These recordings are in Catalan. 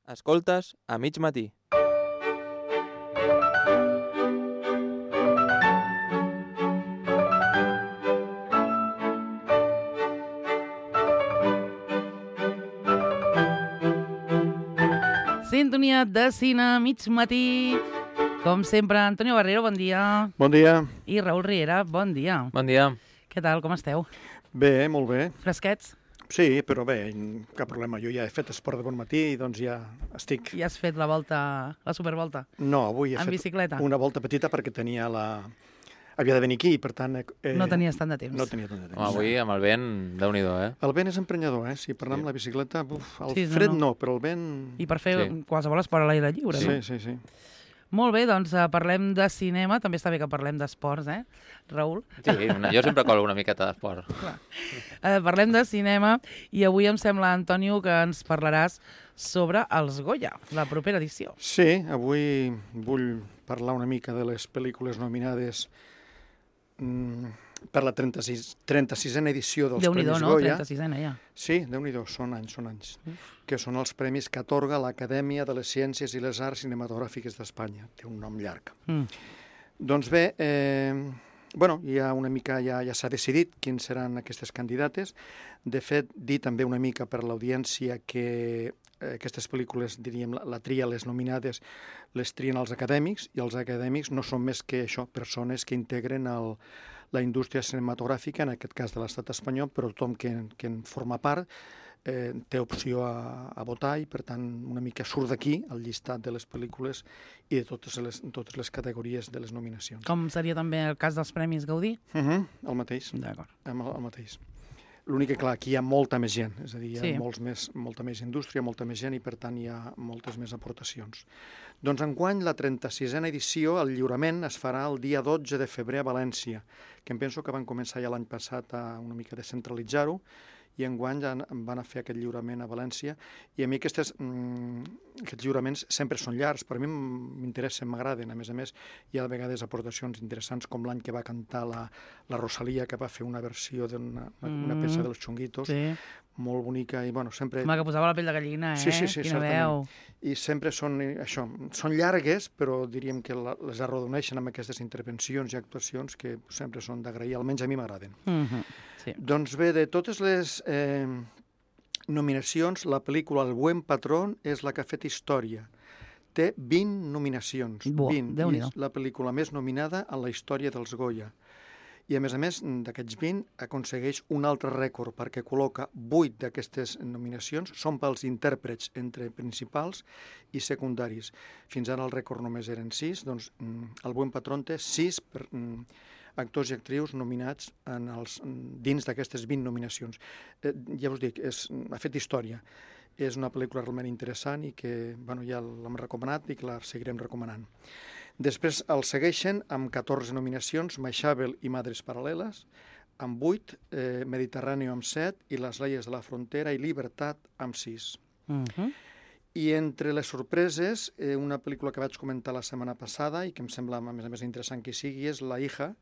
Escoltes a mig matí. Sintonia de cine, mig matí. Com sempre, Antonio Barrero, bon dia. Bon dia. I Raül Riera, bon dia. Bon dia. Què tal, com esteu? Bé, molt bé. Fresquets? Sí, però bé, cap problema. Jo ja he fet esport de bon matí i doncs ja estic... Ja has fet la volta, la supervolta? No, avui he En fet bicicleta? una volta petita perquè tenia la... Havia de venir aquí i per tant... No tenies tant de temps. No tenia tant de temps. Home, avui amb el vent, Déu-n'hi-do, eh? El vent és emprenyador, Si parlem amb la bicicleta, el Sí, fred no. no, però el vent... I per fer Sí. qualsevol esport a l'aire lliure, no? Sí. Molt bé, doncs parlem de cinema. També està bé que parlem d'esports, Raül? Sí, jo sempre colo una miqueta d'esport. Parlem de cinema i avui em sembla, Antonio, que ens parlaràs sobre els Goya, la propera edició. Sí, avui vull parlar una mica de les pel·lícules nominades per la 36a edició dels Déu-n'hi-do, Premis no? Goya. 36a ja. Sí, Déu-n'hi-do, són anys. Que són els premis que atorga l'Acadèmia de les Ciències i les Arts Cinematogràfiques d'Espanya. Té un nom llarg. Doncs bé, hi ha una mica, ja s'ha decidit quins seran aquestes candidates. De fet, dir també una mica per l'audiència que aquestes pel·lícules, diríem, la tria, les nominades, les trien els acadèmics, i els acadèmics no són més que això, persones que integren la indústria cinematogràfica, en aquest cas de l'estat espanyol, però tothom que en forma part té opció a votar i, per tant, una mica surt d'aquí el llistat de les pel·lícules i de totes les categories de les nominacions. Com seria també el cas dels Premis Gaudí? El mateix. D'acord. El mateix. L'únic que, clar, aquí hi ha molta més gent, és a dir, hi ha Sí. molta més indústria, molta més gent i, per tant, hi ha moltes més aportacions. Doncs enguany, la 36a edició, el lliurament es farà el dia 12 de febrer a València, que em penso que van començar ja l'any passat a una mica descentralitzar-ho, i enguany ja van a fer aquest lliurament a València, i a mi aquests lliuraments sempre són llargs, però a mi m'interessen, m'agraden. A més, hi ha de vegades aportacions interessants, com l'any que va cantar la Rosalía, que va fer una versió d'una peça dels Chunguitos, molt bonica, i sempre... Home, que posava la pell de gallina, Sí, Quina veu. I sempre són llargues, però diríem que les arrodoneixen amb aquestes intervencions i actuacions que sempre són d'agrair, almenys a mi m'agraden. Sí. Doncs bé, de totes les nominacions, la pel·lícula El buen patrón és la que ha fet història. Té 20 nominacions. 20. I és la pel·lícula més nominada en la història dels Goya. I, a més, d'aquests 20, aconsegueix un altre rècord, perquè col·loca 8 d'aquestes nominacions, són pels intèrprets entre principals i secundaris. Fins ara el rècord només eren 6, doncs El buen patrón té 6 actors i actrius nominats dins d'aquestes 20 nominacions. Ja us dic, ha fet història. És una pel·lícula realment interessant i que ja l'hem recomanat i que la seguirem recomanant. Després el segueixen amb 14 nominacions, Maixabel i Madres Paral·leles, amb 8, Mediterráneo amb 7, i Les leyes de la frontera i Libertat amb 6. I entre les sorpreses, una pel·lícula que vaig comentar la setmana passada i que em sembla, a més interessant que sigui, és La hija,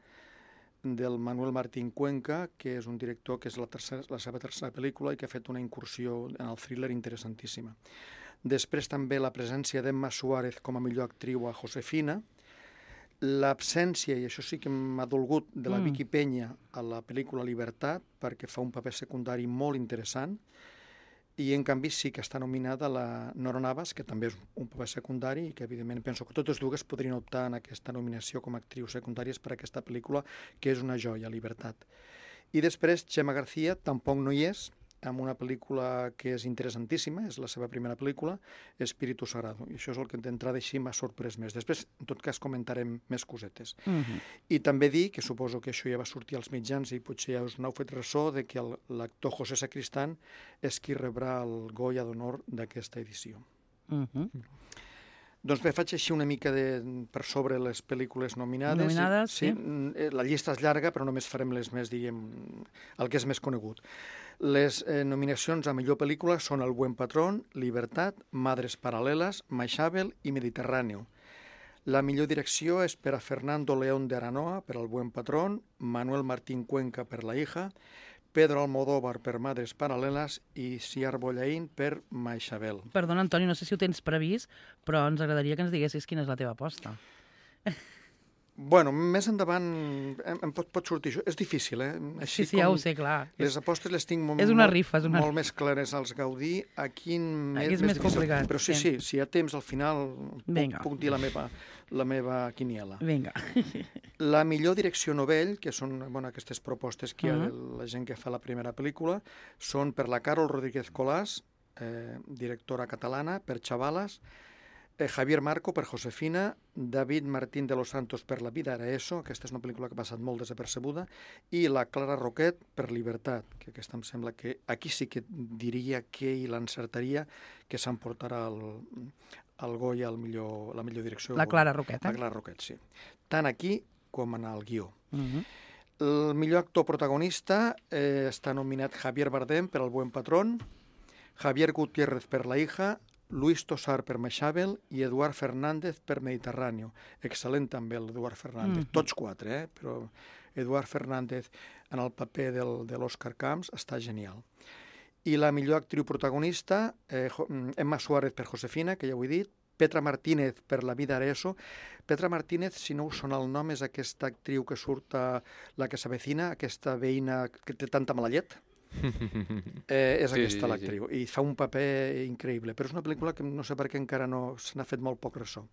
del Manuel Martín Cuenca, que és un director que és la seva tercera pel·lícula i que ha fet una incursió en el thriller interessantíssima. Després també la presència d'Emma Suárez com a millor actriu a Josefina, l'absència, i això sí que m'ha dolgut, de la Vicky Peña a la pel·lícula Libertat, perquè fa un paper secundari molt interessant, i en canvi sí que està nominada la Nora Navas, que també és un paper secundari i que evidentment penso que totes dues podrien optar en aquesta nominació com a actrius secundàries per a aquesta pel·lícula, que és una joia, Libertat. I després Chema García tampoc no hi és, amb una pel·lícula que és interessantíssima, és la seva primera pel·lícula, Espíritu Sagrado. I això és el que d'entrada així m'ha sorprès més. Després, en tot cas, comentarem més cosetes. I també dir, que suposo que això ja va sortir als mitjans i potser ja us n'heu fet ressò, de que l'actor José Sacristán és qui rebrà el Goya d'honor d'aquesta edició. Doncs bé, faig així una mica per sobre les pel·lícules nominades. Sí. La llista és llarga, però només farem les més, diguem, el que és més conegut. Les nominacions a millor pel·lícula són El buen patrón, Libertat, Madres paral·leles, Maixabel i Mediterráneo. La millor direcció és per a Fernando León de Aranoa, per El buen patrón, Manuel Martín Cuenca per La hija, Pedro Almodóvar per Madres Paral·leles i Siar Bollaín per Maixabel. Perdona, Antoni, no sé si ho tens previst, però ens agradaria que ens diguessis quina és la teva aposta. Bueno, més endavant em pot sortir això. És difícil, eh? Així sí, ja ho sé, clar. Les apostes les tinc molt més clares als Gaudí. Aquí és més complicat. Però sí, si hi ha temps, al final puc dir la meva quiniela. Vinga. La millor direcció novell, que són aquestes propostes que hi ha de la gent que fa la primera pel·lícula, són per la Carol Rodríguez Colàs, directora catalana, per Chavalas, Javier Marco per Josefina, David Martín de los Santos per La vida era eso, aquesta és una pel·lícula que ha passat molt desapercebuda, i la Clara Roquet per Libertat, que aquesta em sembla que aquí sí que diria que i l'encertaria que s'emportarà el Goya la millor direcció. La Clara Roquet, La Clara Roquet, sí. Tant aquí com en el guió. El millor actor protagonista està nominat Javier Bardem per El buen patrón, Javier Gutiérrez per La hija, Luis Tosar per Maixabel i Eduard Fernández per Mediterráneo. Excel·lent també l'Eduard Fernández. Tots quatre, però Eduard Fernández en el paper de l'Òscar Camps està genial. I la millor actriu protagonista, Emma Suárez per Josefina, que ja ho he dit, Petra Martínez per La vida era eso. Petra Martínez, si no us sona el nom, és aquesta actriu que surt a La que s'avecina, aquesta veïna que té tanta mala llet. És aquesta l'actriu, i fa un paper increïble, però és una pel·lícula que no sé per què encara no se n'ha fet molt poc ressò.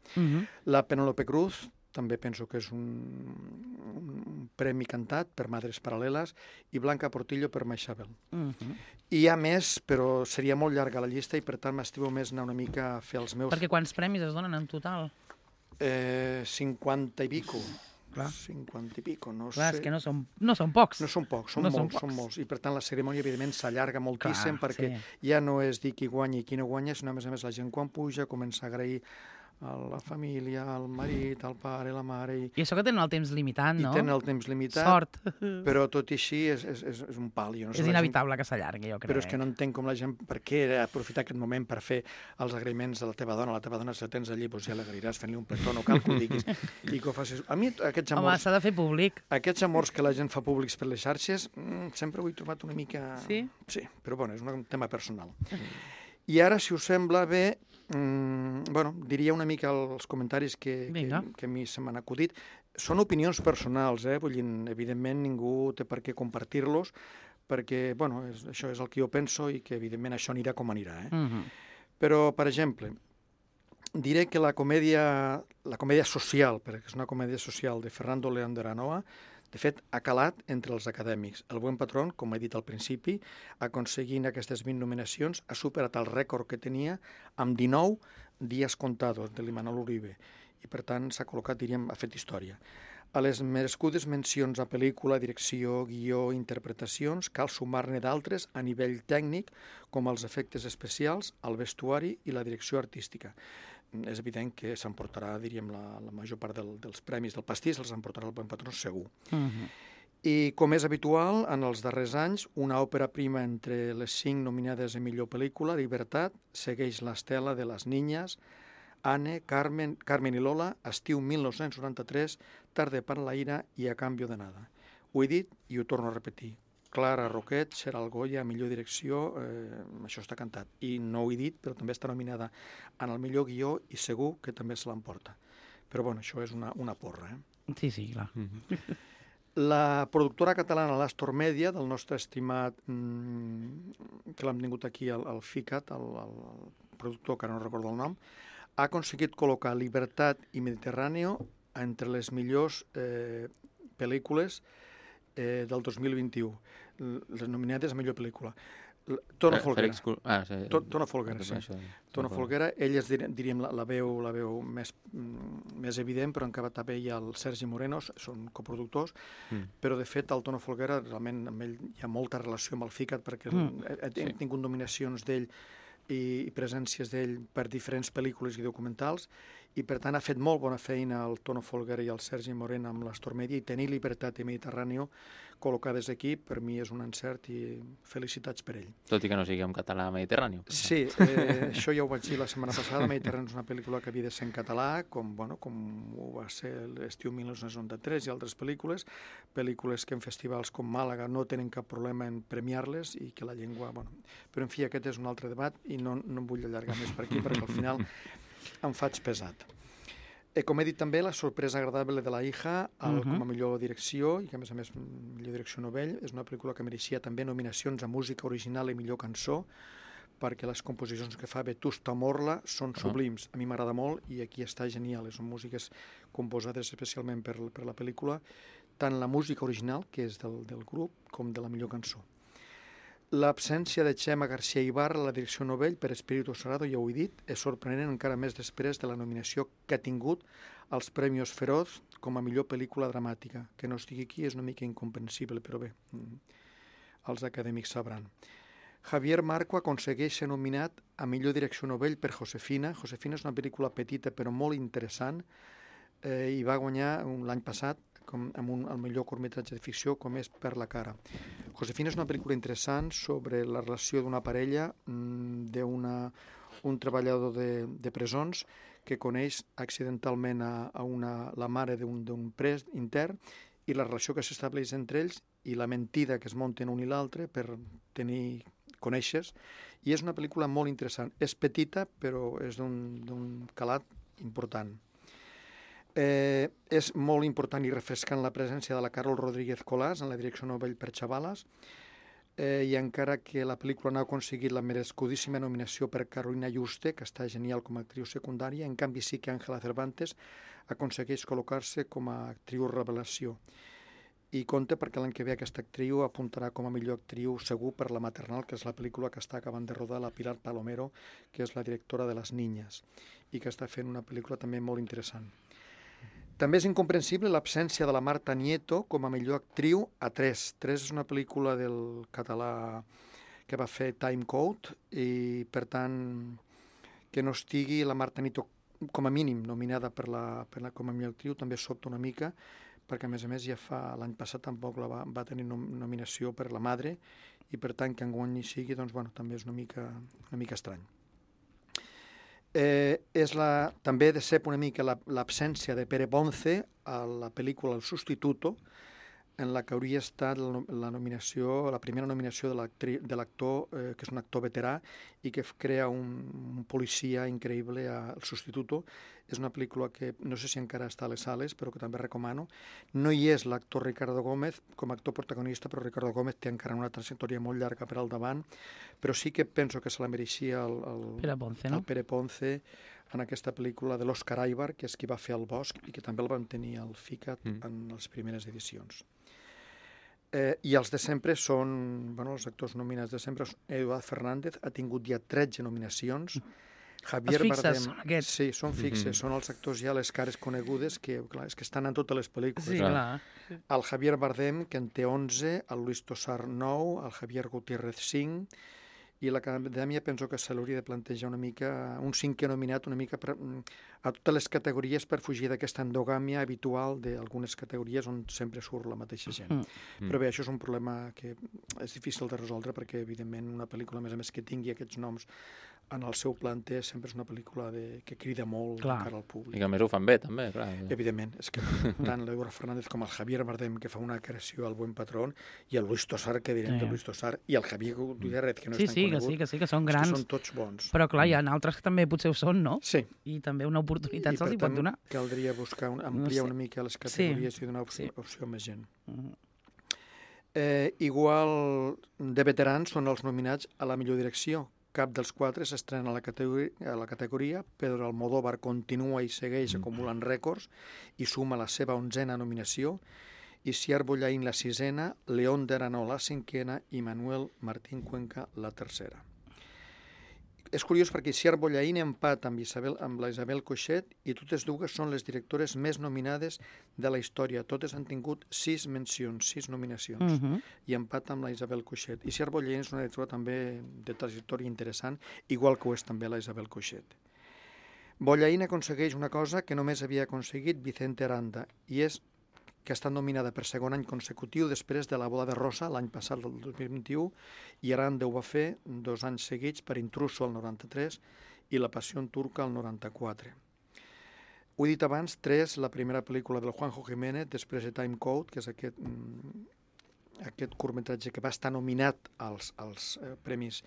La Penélope Cruz també penso que és un premi cantat per Madres Paral·leles, i Blanca Portillo per Maixabel. I hi ha més, però seria molt llarga la llista i per tant m'estivo més anar una mica a fer els meus... Perquè quants premis es donen en total? 50 i pico. Clar. 50 i pico, no Clar, sé. és que no són pocs. No són pocs, són molts. I per tant la cerimònia, evidentment, s'allarga moltíssim. Clar, perquè ja no és dir qui guanya i qui no guanya, sinó a més la gent quan puja comença a agrair a la família, al marit, al pare, la mare... I això que tenen el temps limitat, no? I tenen el temps limitat. Sort. Però tot i així és un pal. No és inevitable que s'allargui, jo crec. Però és que no entenc com la gent... Per què aprofitar aquest moment per fer els agraïments de la teva dona? La teva dona, si la tens allí, doncs ja l'agreiràs fent-li un petó, no cal que ho diguis. I que ho facis... A mi aquests amors... Home, s'ha de fer públic. Aquests amors que la gent fa públics per les xarxes, sempre ho he trobat una mica... Sí? Sí, però bueno, és un tema personal. I ara, si us sembla bé, diria una mica els comentaris que a mi se m'han acudit. Són opinions personals, vull dir, evidentment ningú té per què compartir-los, perquè, això és el que jo penso i que, evidentment, això anirà com anirà. Però, per exemple, diré que la comèdia social, perquè és una comèdia social de Fernando León de Aranoa, de fet, ha calat entre els acadèmics. El buen patrón, com he dit al principi, aconseguint aquestes 20 nominacions, ha superat el rècord que tenia amb 19 dies contados de l'Imanol Uribe. I, per tant, s'ha col·locat, diríem, ha fet història. A les merescudes mencions a pel·lícula, direcció, guió, interpretacions, cal sumar-ne d'altres a nivell tècnic, com els efectes especials, el vestuari i la direcció artística. És evident que s'emportarà, diríem, la major part dels premis del pastís, els emportarà el Buen Patrón segur. I, com és habitual, en els darrers anys, una òpera prima entre les 5 nominades a millor pel·lícula, Libertat, segueix l'estela de Les Niñas, Anne, Carmen i Lola, Estiu 1993, Tarde para la ira i A cambio de nada. Ho he dit i ho torno a repetir. Clara Roquet serà el Goya a millor direcció, això està cantat. I no ho he dit, però també està nominada en el millor guió i segur que també se l'emporta. Però bueno, això és una porra. Sí, clar. La productora catalana l'Astor Media, del nostre estimat, que l'hem tingut aquí, el FICAT, el productor, que no recordo el nom, ha aconseguit col·locar Libertat i Mediterráneo entre les millors pel·lícules del 2021, les nominades a millor pel·lícula. Tono Folguera. Tono Folguera, sí. Tono Folguera, ell és, diríem, la veu més evident, però encara també hi ha el Sergi Moreno, són coproductors, però de fet el Tono Folguera, realment amb ell hi ha molta relació amb el FICAT, perquè hem tingut nominacions d'ell i presències d'ell per diferents pel·lícules i documentals, i per tant ha fet molt bona feina el Tono Folguera i el Sergi Moreno amb l'Astor Media, i tenir Libertat i Mediterráneo col·locades aquí, per mi és un encert i felicitats per ell. Tot i que no sigui en català mediterrani. Sí, això ja ho vaig dir la setmana passada. Mediterrani és una pel·lícula que havia de ser en català, com ho va ser l'estiu 1993 i altres pel·lícules que en festivals com Màlaga no tenen cap problema en premiar-les i que la llengua... Però, en fi, aquest és un altre debat i no em vull allargar més per aquí perquè al final em faig pesat. Com he dit també, La sorpresa agradable de la hija, com a millor direcció, i que a més millor direcció novell, és una pel·lícula que mereixia també nominacions a música original i millor cançó, perquè les composicions que fa Vetusta Morla són sublims. A mi m'agrada molt i aquí està genial. Són músiques composades especialment per la pel·lícula, tant la música original, que és del grup, com de la millor cançó. L'absència de Chema García Ibarra a la direcció novell per Espíritu Sagrado, ja ho he dit, és sorprenent encara més després de la nominació que ha tingut als Premios Feroz com a millor pel·lícula dramàtica. Que no estigui aquí és una mica incomprensible, però bé, els acadèmics sabran. Javier Marco aconsegueix ser nominat a millor direcció novell per Josefina. Josefina és una pel·lícula petita però molt interessant i va guanyar l'any passat amb el millor curtmetratge de ficció, com és Per la cara. Josefina és una pel·lícula interessant sobre la relació d'una parella, un treballador de presons que coneix accidentalment la mare d'un pres intern i la relació que s'estableix entre ells i la mentida que es munten un i l'altre per tenir coneixes. I és una pel·lícula molt interessant. És petita, però és d'un calat important. És molt important i refrescant la presència de la Carol Rodríguez Colás en la direcció novell per Xavales, i encara que la pel·lícula no ha aconseguit la merescudíssima nominació per Carolina Juste, que està genial com a actriu secundària, en canvi sí que Ángela Cervantes aconsegueix col·locar-se com a actriu revelació. I compte perquè l'any que ve aquesta actriu apuntarà com a millor actriu segur per La maternal, que és la pel·lícula que està acabant de rodar la Pilar Palomero, que és la directora de Les niñas, i que està fent una pel·lícula també molt interessant. També és incomprensible l'absència de la Marta Nieto com a millor actriu a 3. 3 és una pel·lícula del català que va fer Time Code i, per tant, que no estigui la Marta Nieto com a mínim nominada com a millor actriu també sobta una mica, perquè a més ja l'any passat tampoc va tenir nominació per La madre i, per tant, que enguany hi sigui, doncs, també és una mica estrany. També decep una mica l'absència de Pere Ponce a la pel·lícula El Sustituto, en la que hauria estat la primera nominació de l'actor, que és un actor veterà i que crea un policia increïble a El Sustituto. És una pel·lícula que no sé si encara està a les sales, però que també recomano. No hi és l'actor Ricardo Gómez com a actor protagonista, però Ricardo Gómez té encara una trajectòria molt llarga per al davant, però sí que penso que se la mereixia el Pere Ponce en aquesta pel·lícula de l'Òscar Aibar, que és qui va fer El Bosc i que també el van tenir al FICAT en les primeres edicions. I els de sempre són, els actors nominats de sempre, Eduard Fernández ha tingut ja 13 nominacions. Els fixes són aquests. Sí, són fixes, són els actors ja les cares conegudes que estan en totes les pel·lícules. Sí, clar. El Javier Bardem, que en té 11, el Luis Tosar 9, el Javier Gutiérrez 5, i l'Acadèmia penso que se l'hauria de plantejar una mica, un 5è nominat una mica a totes les categories per fugir d'aquesta endogàmia habitual d'algunes categories on sempre surt la mateixa gent. Però bé, això és un problema que és difícil de resoldre perquè, evidentment, una pel·lícula, a més que tingui aquests noms en el seu planter, sempre és una pel·lícula que crida molt encara al públic. I que a més ho fan bé, també, clar. Evidentment, és que tant l'Eduard Fernández com el Javier Bardem, que fa una creació al Buen Patrón, i el Luis Tosar, que direm de Luis Tosar, i el Javier Gutiérrez, que no és tan conegut. Sí, que són grans. Que són tots bons. Però clar, hi ha altres que també potser ho són, no? Sí. I també una oportunitat se'ls hi pot donar. I per tant caldria ampliar una mica les categories i donar opció a més gent. Igual de veterans són els nominats a la millor direcció. Cap dels 4 s'estrena a la categoria. Pedro Almodóvar continua i segueix acumulant rècords i suma la seva 11a nominació. Isiar Bollaín la 6a, León de Aranoa la 5a i Manuel Martín Cuenca la 3a. És curiós perquè Isiar Bollaín empat amb la Isabel Coixet i totes dues són les directores més nominades de la història. Totes han tingut 6 mencions, 6 nominacions, i empat amb la Isabel Coixet. Isiar Bollaín és una directora també de trajectòria interessant, igual que ho és també la Isabel Coixet. Bollaín aconsegueix una cosa que només havia aconseguit Vicente Aranda, i és que ha estat nominada per segon any consecutiu després de La boda de rosa l'any passat, el 2021, i Aranda ho va fer 2 anys seguits per Intruso el 93 i La passió turca el 94. Ho he dit abans, 3, la primera pel·lícula del Juanjo Jiménez, després de Time Code, que és aquest curtmetratge que va estar nominat als premis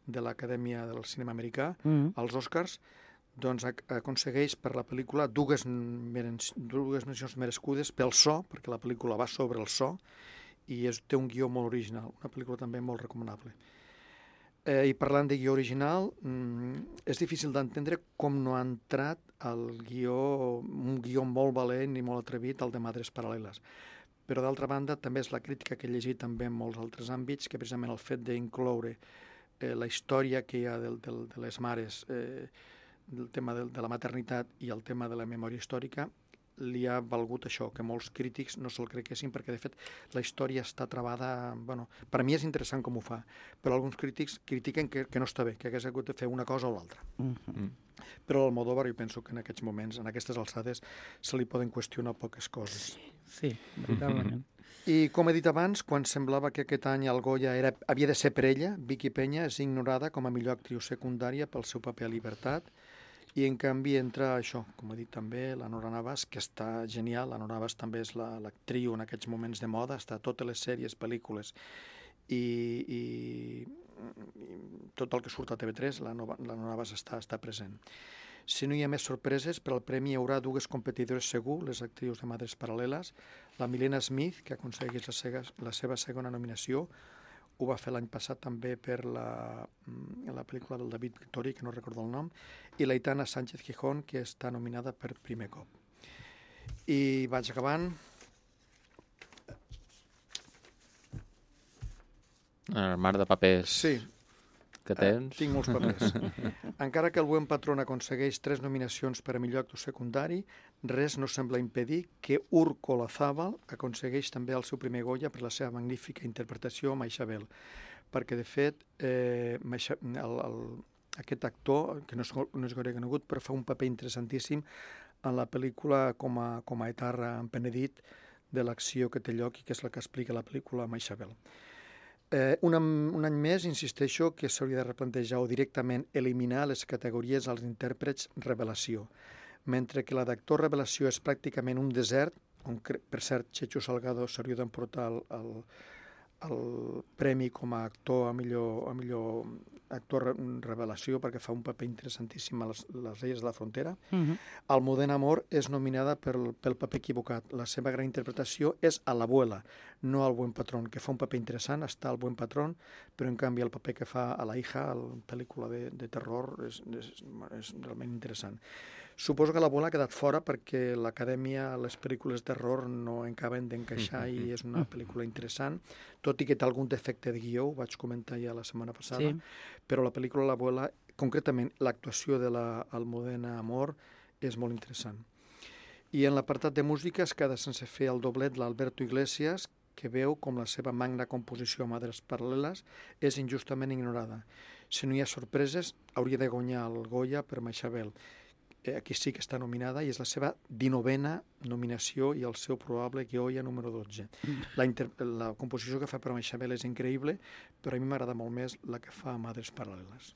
de l'Acadèmia del Cinema Americà, als Oscars, doncs aconsegueix per la pel·lícula dues mencions merescudes pel so, perquè la pel·lícula va sobre el so, i té un guió molt original, una pel·lícula també molt recomanable. I parlant de guió original, és difícil d'entendre com no ha entrat un guió molt valent i molt atrevit, el de Madres Paral·leles. Però d'altra banda també és la crítica que he llegit també en molts altres àmbits, que precisament el fet d'incloure la història que hi ha de les mares, del tema de la maternitat i el tema de la memòria històrica, li ha valgut això, que molts crítics no se'l creguessin, perquè de fet la història està travada, bueno, per a mi és interessant com ho fa, però alguns crítics critiquen que no està bé, que hagués hagut de fer una cosa o l'altra. Però l'Almodóvar jo penso que en aquests moments, en aquestes alçades, se li poden qüestionar poques coses. Sí, veritablement. I com he dit abans, quan semblava que aquest any el Goya havia de ser per ella, Vicky Peña és ignorada com a millor actriu secundària pel seu paper a Libertat, i en canvi entra això, com he dit també, la Nora Navas, que està genial. La Nora Navas també és l'actriu en aquests moments de moda, està a totes les sèries, pel·lícules i tot el que surt a TV3, la Nora Navas està present. Si no hi ha més sorpreses, per al premi hi haurà 2 competidores segur, les actrius de Madres Paral·leles, la Milena Smith, que aconsegueix la seva segona nominació, ho va fer l'any passat també per la pel·lícula del David Victori, que no recordo el nom, i l'Aitana Sánchez Gijón, que està nominada per primer cop. I vaig acabant. El mar de papers Sí, que tens. tinc molts papers. Encara que el Buen Patrón aconsegueix 3 nominacions per a millor actor secundari, res no sembla impedir que Urko Olazábal aconsegueix també el seu primer Goya per la seva magnífica interpretació a Maixabel, perquè de fet aquest actor, que no és gaire conegut, però fa un paper interessantíssim en la pel·lícula com a etarra en Penedit de l'acció que té lloc i que és la que explica la pel·lícula Maixabel. Un any més insisteixo que s'hauria de replantejar o directament eliminar les categories als intèrprets revelació, mentre que la d'actor revelació és pràcticament un desert, on per cert Checho Salgado s'hauria d'emportar el premi com a actor, a millor actor revelació, perquè fa un paper interessantíssim a les Illes de la Frontera. Almudena Amor és nominada pel paper equivocat. La seva gran interpretació és a l'abuela, no al Buen Patrón, que fa un paper interessant, està al Buen Patrón, però en canvi el paper que fa a la hija, a la pel·lícula de terror, és realment interessant. Suposo que l'abuela ha quedat fora perquè l'Acadèmia, les pel·lícules de terror no acaben d'encaixar i és una pel·lícula interessant, tot i que té algun defecte de guió, ho vaig comentar ja la setmana passada, però la pel·lícula L'abuela, concretament l'actuació de l'Almudena Amor, és molt interessant. I en l'apartat de música es queda sense fer el doblet l'Alberto Iglesias, que veu com la seva magna composició a Madres Paral·leles és injustament ignorada. Si no hi ha sorpreses, hauria de guanyar el Goya per Maixabel. Aquí sí que està nominada i és la seva 19a nominació i el seu probable Goya número 12. La composició que fa per Maixabel és increïble, però a mi m'agrada molt més la que fa a Madres Paral·leles.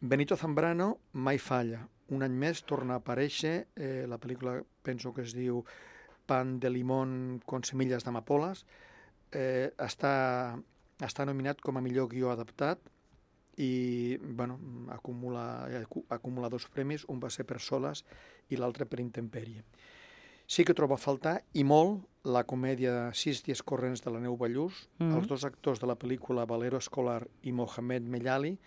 Benito Zambrano mai falla. Un any més torna a aparèixer, la pel·lícula penso que es diu Pan de limón con semillas d'amapoles, està nominat com a millor guió adaptat i acumula 2 premis, un va ser per Soles i l'altre per Intempèrie. Sí que trobo a faltar, i molt, la comèdia 6 dies corrents de la Neu Ballús. Els 2 actors de la pel·lícula, Valero Escolar i Mohamed Mellali,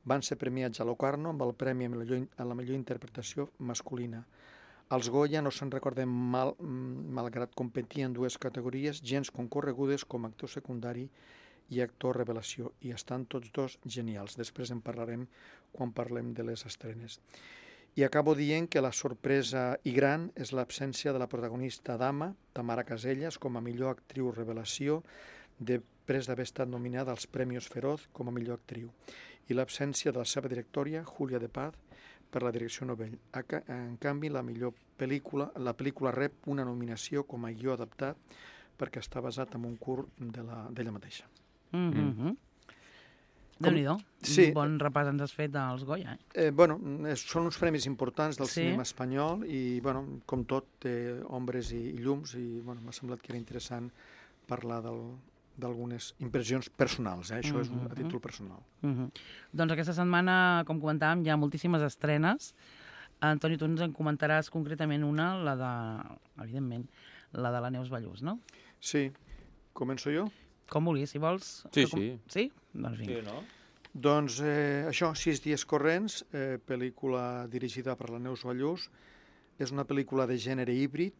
van ser premiats a Locarno amb el premi a la millor interpretació masculina. Els Goya no se'n recorden malgrat competir en 2 categories gens concorregudes com a actor secundari i actor revelació, i estan tots 2 genials. Després en parlarem quan parlem de les estrenes. I acabo dient que la sorpresa i gran és l'absència de la protagonista dama, Tamara Casellas, com a millor actriu revelació, després d'haver estat nominada als Premios Feroz com a millor actriu, i l'absència de la seva directòria, Julia de Paz, per la direcció Novell. En canvi, la pel·lícula rep una nominació com a guió adaptat perquè està basat en un curt d'ella mateixa. Déu-n'hi-do. Sí. Un bon repàs ens has fet dels Goya. Són uns premis importants del cinema espanyol i, com tot, té ombres i llums i m'ha semblat que era interessant parlar d'algunes impressions personals. Això és a títol personal. Doncs aquesta setmana, com comentàvem, hi ha moltíssimes estrenes. Antoni, tu ens en comentaràs concretament una, evidentment, la de la Neus Ballús, no? Sí. Començo jo? Com vulguis, si vols. Sí. Sí? Doncs vinga. Sí, no? Doncs això, 6 dies corrents, pel·lícula dirigida per la Neus Ballús. És una pel·lícula de gènere híbrid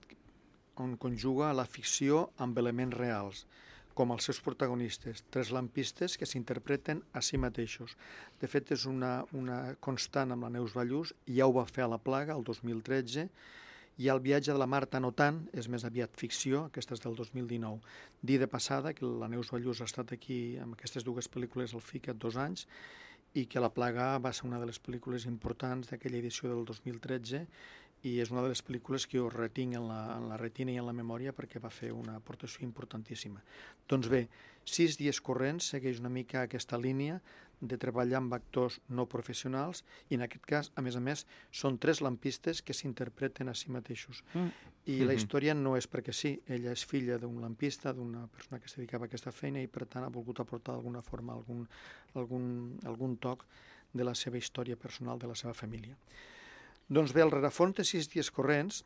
on conjuga la ficció amb elements reals, com els seus protagonistes, 3 lampistes que s'interpreten a si mateixos. De fet, és una constant amb la Neus Ballús, ja ho va fer a La Plaga, el 2013, i el viatge de la Marta no tant, és més aviat ficció, aquesta és del 2019. Dir de passada que la Neus Ballús ha estat aquí amb aquestes dues pel·lícules al FICAT 2 anys i que La Plaga va ser una de les pel·lícules importants d'aquella edició del 2013 i és una de les pel·lícules que jo retinc en la retina i en la memòria perquè va fer una aportació importantíssima. Doncs bé, 6 dies corrents segueix una mica aquesta línia de treballar amb actors no professionals i en aquest cas, a més, són 3 lampistes que s'interpreten a si mateixos. I la història no és perquè sí, ella és filla d'un lampista, d'una persona que es dedicava a aquesta feina i per tant ha volgut aportar d'alguna forma algun toc de la seva història personal, de la seva família. Doncs bé, el rerefons de 6 dies corrents,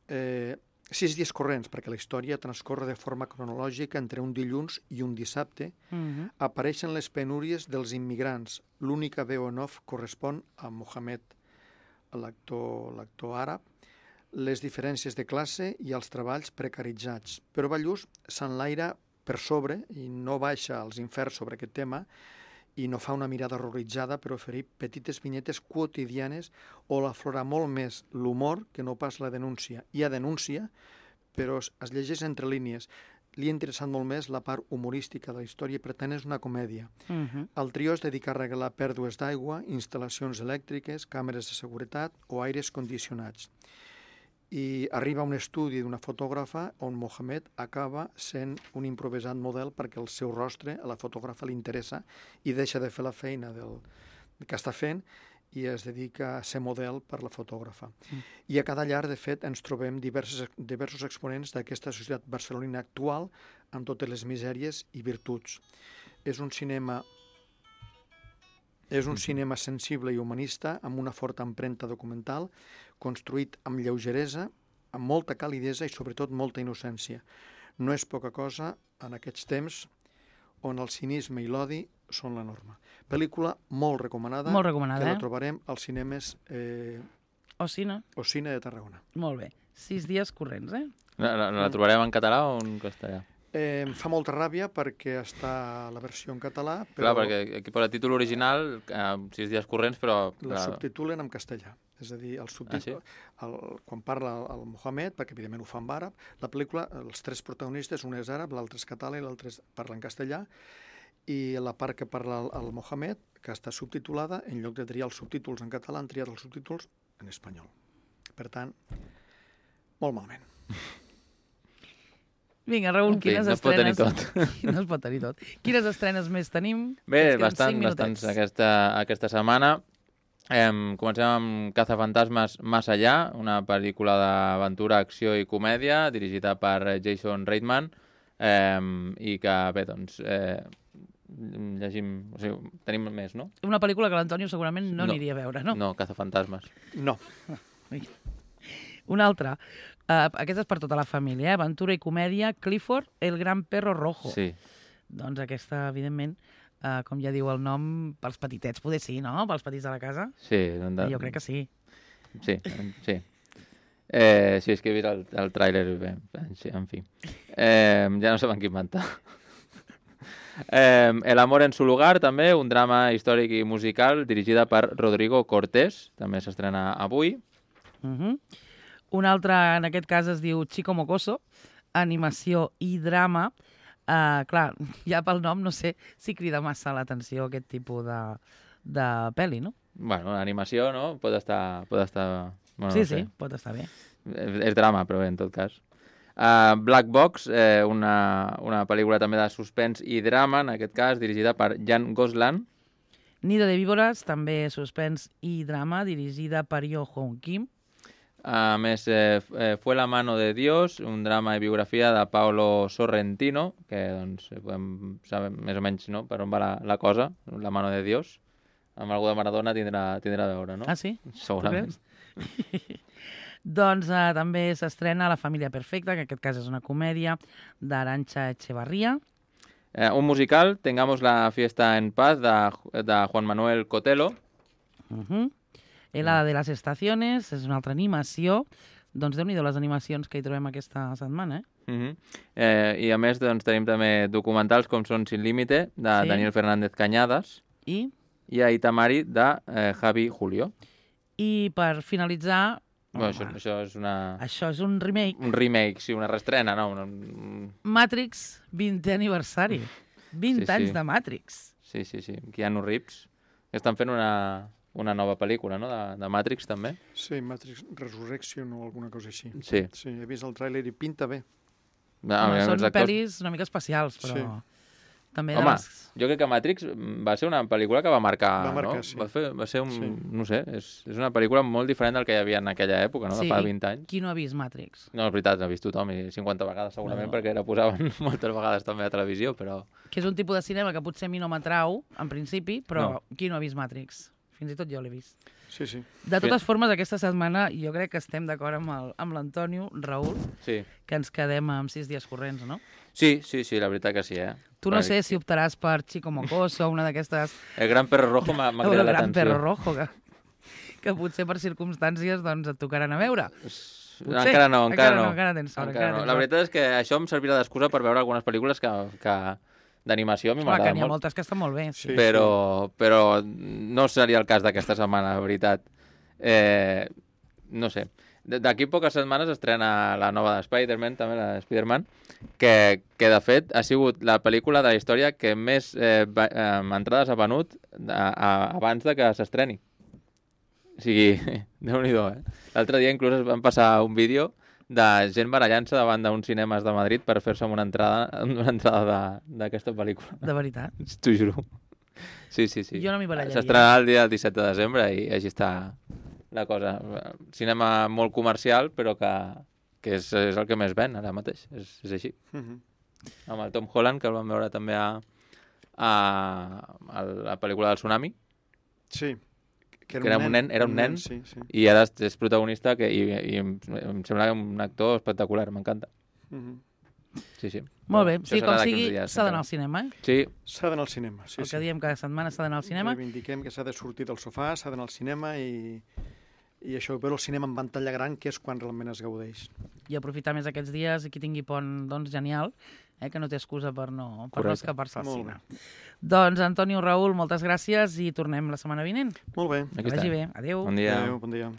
6 dies corrents, perquè la història transcorre de forma cronològica entre un dilluns i un dissabte, apareixen les penúries dels immigrants. L'única veu en off correspon a Mohamed, l'actor àrab, les diferències de classe i els treballs precaritzats. Però Ballús s'enlaira per sobre i no baixa als inferns sobre aquest tema i no fa una mirada horroritzada per oferir petites vinyetes quotidianes on aflora molt més l'humor que no pas la denúncia. Hi ha denúncia, però es llegeix entre línies. Li ha interessat molt més la part humorística de la història, per tant és una comèdia. El trio es dedica a arreglar pèrdues d'aigua, instal·lacions elèctriques, càmeres de seguretat o aires condicionats. I arriba a un estudi d'una fotògrafa on Mohamed acaba sent un improvisat model perquè el seu rostre a la fotògrafa li interessa i deixa de fer la feina que està fent i es dedica a ser model per la fotògrafa. I a cada llar, de fet, ens trobem diversos exponents d'aquesta societat barcelonina actual amb totes les misèries i virtuts. És un cinema sensible i humanista amb una forta empremta documental, construït amb lleugeresa, amb molta calidesa i sobretot molta innocència. No és poca cosa en aquests temps on el cinisme i l'odi són la norma. Pel·lícula molt recomanada, que la trobarem als cinemes Ocina de Tarragona. Molt bé. 6 dies corrents, La trobarem en català o en castellà? Em fa molta ràbia perquè està la versió en català. Clar, perquè aquí posa títol original, 6 dies corrents, però... La subtitulen en castellà. És a dir, el subtítol, quan parla el Mohamed, perquè evidentment ho fa en àrab, la pel·lícula, els 3 protagonistes, un és àrab, l'altre és català i l'altre parla en castellà, i la part que parla el Mohamed, que està subtitulada, en lloc de triar els subtítols en català, han triat els subtítols en espanyol. Per tant, molt malament. Vinga, Raül, quines estrenes... No es pot tenir tot. No es pot tenir tot. Quines estrenes més tenim? Bé, bastants aquesta setmana. Comencem amb Cazafantasmes Más Allá, una pel·lícula d'aventura, acció i comèdia, dirigida per Jason Reitman, i que, bé, doncs, llegim... O sigui, tenim més, no? Una pel·lícula que l'Antonio segurament no aniria a veure, no? No, Cazafantasmes. No. Una altra. Aquesta és per tota la família, aventura i comèdia, Clifford, el gran perro rojo. Sí. Doncs aquesta, evidentment, com ja diu el nom, pels petitets, poder sí, no? Pels petits de la casa? Sí. Jo crec que sí. Sí. Sí, és que he vist el tràiler, en fi. Ja no saben qui inventar. El amor en su lugar, també, un drama històric i musical dirigida per Rodrigo Cortés, també s'estrena avui. Un altre, en aquest cas, es diu Chico Mocoso, animació i drama. Clar, ja pel nom no sé si crida massa l'atenció aquest tipus de pel·li, no? Bueno, l'animació, no? Pot estar... Bueno, sí, no sé. sí, pot estar bé. És drama, però bé, en tot cas. Black Box, una pel·lícula també de suspens i drama, en aquest cas, dirigida per Jan Goslan. Nido de víboras, també suspens i drama, dirigida per Yo Hong Kim. A més, Fue la mano de Dios, un drama i biografia de Paolo Sorrentino, que doncs, podem saber més o menys, no?, per on va la cosa, La mano de Dios. Amb algú de Maradona tindrà a veure, no? Ah, sí? Segurament. Doncs també s'estrena La família perfecta, que en aquest cas és una comèdia, d'Arantxa Echevarría. Un musical, Tengamos la fiesta en paz, de Juan Manuel Cotelo. Helada de les estaciones, és una altra animació. Doncs déu-n'hi-do les animacions que hi trobem aquesta setmana, I a més doncs, tenim també documentals com són Sin límite, de Daniel Fernández Cañadas. I a Itamari, de Javi Julio. I per finalitzar... Bueno, això és una... Això és un remake. Un remake, sí, una reestrena, no? Matrix, 20è aniversari. 20 anys de Matrix. Sí. Keanu Reeves. Estan fent una nova pel·lícula, no?, de Matrix, també. Sí, Matrix Resurrection o alguna cosa així. Sí, he vist el tràiler i pinta bé. Són pel·lis una mica especials, però... Sí. També home, jo crec que Matrix va ser una pel·lícula que va marcar, no? Sí. Va ser un... Sí. No sé, és una pel·lícula molt diferent del que hi havia en aquella època, no? De fa 20 anys. Qui no ha vist Matrix? No, és veritat, l'ha vist tothom, i 50 vegades segurament, perquè la posaven moltes vegades també a televisió, però... Que és un tipus de cinema que potser a mi no m'atrau, en principi, però qui no ha vist Matrix? Fins i tot jo l'he vist. Sí. De totes formes, aquesta setmana jo crec que estem d'acord amb l'Antonio, Raül, que ens quedem amb 6 dies corrents, no? Sí, la veritat que sí, Tu no sé si optaràs per Chico Mocoso o una d'aquestes... El Gran Perro Rojo m'ha cridat l'atenció. El Gran Perro Rojo, que potser per circumstàncies doncs, et tocaran a veure. Potser. Encara no. Encara tens sort. La veritat és que això em servirà d'excusa per veure algunes pel·lícules que d'animació a mi m'agrada molt. Que n'hi ha moltes que estan molt bé. Sí. Però no seria el cas d'aquesta setmana, la veritat. No sé. D'aquí poques setmanes estrena la nova de Spider-Man, també la de Spider-Man, que de fet ha sigut la pel·lícula de la història que més entrades ha venut abans de que s'estreni. O sigui, déu-n'hi-do, L'altre dia inclús van passar un vídeo de gent barallant-se davant d'uns cinemes de Madrid per fer-se una entrada d'aquesta pel·lícula. De veritat? T'ho juro. Sí. Jo no m'hi barallaria. S'estrenarà el dia 17 de desembre i així està la cosa. Cinema molt comercial, però que és el que més ven ara mateix. És així. Amb el Tom Holland, que el vam veure també a la pel·lícula del Tsunami. Sí. Que era un nen, sí. I ara és protagonista i em sembla un actor espectacular, m'encanta. Sí. Molt bé, sí, com sigui, s'ha d'anar al cinema, Sí. S'ha d'anar al cinema, sí. El que diem cada setmana s'ha d'anar al cinema. Reivindiquem que s'ha de sortir del sofà, s'ha d'anar al cinema i això, veure el cinema en pantalla gran, que és quan realment es gaudeix. I aprofitar més aquests dies, i qui tingui pont, doncs genial, que no té excusa per no escapar-se al cine. Doncs, Antonio, Raül, moltes gràcies i tornem la setmana vinent. Molt bé. Que vagi bé. Adéu. Bon dia. Adéu, bon dia.